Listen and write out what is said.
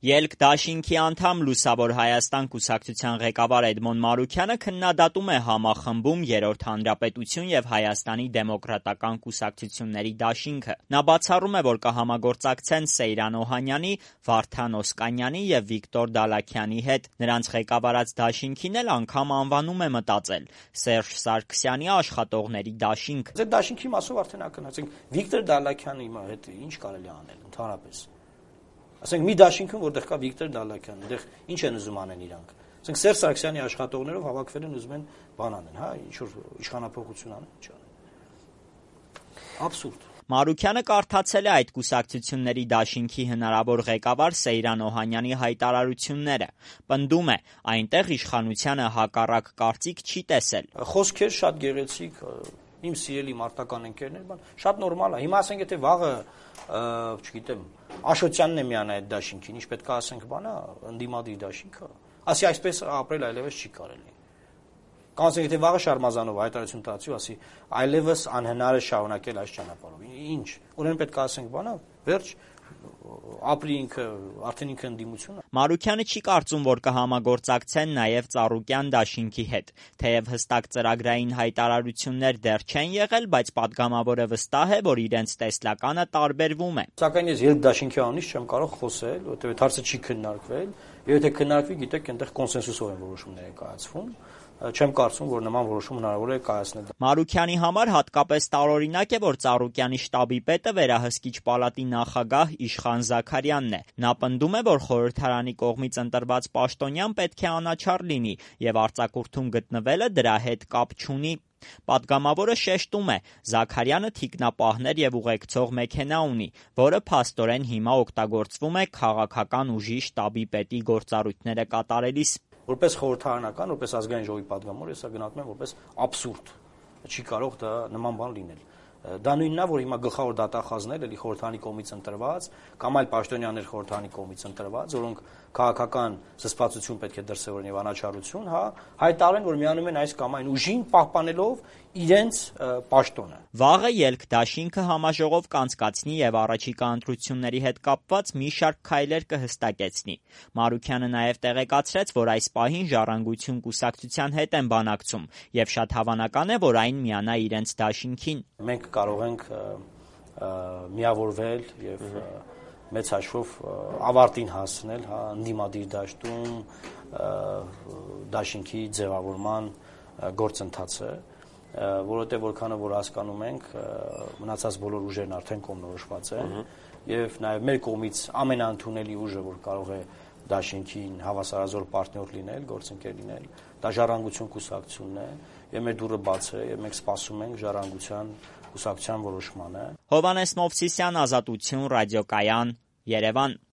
Ելք դաշինքի անդամ Լուսավոր Հայաստան կուսակցության ղեկավար Էդմոն Մարուքյանը քննադատում է համախմբում Երրորդ հանրապետություն և Հայաստանի դեմոկրատական կուսակցությունների դաշինքը։ Նա բացառում է, որ կհամագործակցեն Սեյրան Օհանյանի, Վարդան Օսկանյանի և Վիկտոր Դալաքյանի հետ։ Նրանց ղեկավարած դաշինքին էլ անգամ անվանում է մտածել Սերժ Սարգսյանի աշխատողների դաշինք։ Այդ դաշինքի մասով արդեն ակնհայտ Վիկտոր Դալաքյանի հետ ինչ կարելի անել ընդհանրապես։ Ասենք մի դաշինքում, որտեղ կա Վիկտոր Դալաքյան, այնտեղ ինչ են ուզում անեն իրանք։ Ասենք Սերժ Սարգսյանի աշխատողներով հավաքվել են ուզում են բան անեն, հա, ինչ որ իշխանափոխություն անեն, ինչ անեն։ Աբսուրդ։ Մարուքյանը կարդացել է այդ կուսակցությունների դաշինքի հնարավոր ղեկավար Սեյրան Օհանյանի հայտարարությունները։ Պնդում է, այնտեղ իշխանությանը հակառակ կարծիք չի տեսել։ Խոսքեր շատ գեղեցիկ, իմ սիրելի մարտական ընկերներ, շատ նորմալ է։ Հիմա ասենք եթե վաղը, չգիտեմ, Աշոտյանն է միանա այդ դաշինքին, ինչ պետք է ասենք բանա, ընդդիմադիր դաշինքը։ Ասի այսպես ապրել այլևս չի կարելի։ Կամ ասենք եթե վաղը Շարմազանովը հայտարարություն տալու, ասի այլևս անհնար է շարունակել այս ճանապարհով։ Ինչ։ Ուրեմն պետք է ասենք բանա, վերջ ապրի ինքը, արդեն ինքը ընդդիմություն է։ Մարուքյանը չի կարծում, որ կհամագործակցեն նաև Ծառուկյան դաշինքի հետ։ Թեև հստակ ծրագրային հայտարարություններ դեռ չեն եղել, բայց պատգամավորը վստահ է, որ իրենց տեսլականը տարբերվում է։ Սակայն ես ելք դաշինքի անունից չեմ կարող խոսել, որովհետև այդ հարցը չի քննարկվել, եւ եթե քննարկվի, գիտեք, այնտեղ կոնսենսուսով են որոշումները կայացվում։ Չեմ կարծում, որ նման որոշում հնարավոր է կայացնել։ Մարուքյանի համար հատկապես տարօրինակ է, որ Ծառուկյանի շտաբի պետը վերահսկիչ պալատի նախագահ Իշխան Զաքարյանն է։ Նա պնդում է, որ խորհրդարանի կողմից ընտրված պաշտոնյան պետք է անաչառ լինի եւ արձակուրդում գտնվելը դրա հետ կապ չունի։ Պատգամավորը շեշտում է, Զաքարյանը թիկնապահներ եւ ուղեկցող մեքենա ունի, որը փաստորեն հիմա օգտագործվում է քաղաքական ուժի շտաբի պետի գործառույթները կատարելիս։ Որպես խորհրդարանական, որպես ազգային ժողովի պատգամավոր, ես գնահատում եմ որպես աբսուրդ։ Չի կարող դա նման բան լինել։ Դա նույնն է, որ հիմա գլխավոր դատախազներ էլի խորհրդարանի կողմից ընտրված կամ այլ պաշտոնյաներ խորհրդարանի կողմից ընտրված, որոնք քաղաքական զսպվածություն պետք է դրսևորեն եւ անաչառություն, հա, հայտարարեն, որ միանում են այս կամ այն ուժին, պահպանելով իրենց պաշտոնը։ Վաղը ելք դաշինքը համաժողով կանցկացնի եւ առաջիկա ընտրությունների հետ կապված մի շարք քայլեր կհստակեցնի։ Մարուքյանը նաեւ տեղեկացրեց, որ այս պահին Ժառանգություն կուսակցության հետ են բանակցում եւ շատ հավանական է, որ այն միանա իրենց դաշինքին։ Մենք կարող ենք միավորվել եւ մեծ հաշվով ավարտին հասնել, հա, ընդդիմադիր դաշտում դաշինքի ձևավորման գործընթացը, որովհետեւ որքանով որ հասկանում ենք, մնացած բոլոր ուժերն արդեն կողմնորոշված են եւ նաեւ մեր կողմից ամենաընդունելի ուժը, որ կարող է դաշինքին հավասարազոր պարտներ լինել, գործընկեր լինել, դա Ժառանգություն կուսակցությունն է եւ մեր դուռը բաց է եւ մենք սպասում ենք Ժառանգության կուսակցության որոշմանը։ Հովհաննես Մովսիսյան, Ազատություն, Ռադիոկայան, Երևան։